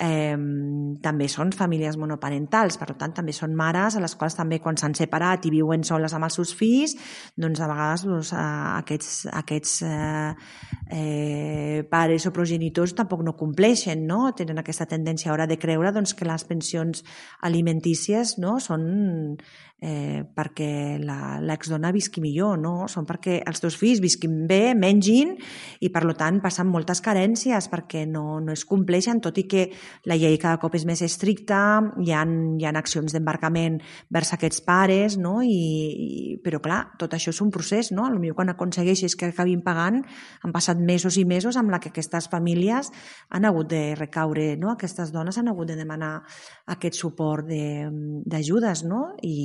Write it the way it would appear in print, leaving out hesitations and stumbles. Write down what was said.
també són famílies monoparentals, per tant també són mares a les quals també quan s'han separat i viuen soles amb els seus fills, doncs a vegades aquests pares o progenitors tampoc no compleixen, no? Tenen aquesta tendència ara de creure que les pensions alimentícies són perquè l'exdona visqui millor, no? Són perquè els teus fills visquin bé, mengin i per tant passen moltes carències perquè no es compleixen, tot i que la llei cada cop és més estricta, hi ha accions d'embarcament vers aquests pares, no? Però clar, tot això és un procés, no? Potser quan aconsegueixes que acabin pagant han passat mesos i mesos amb què aquestes famílies han hagut de recaure, no? Aquestes dones han hagut de demanar aquest suport d'ajudes, no?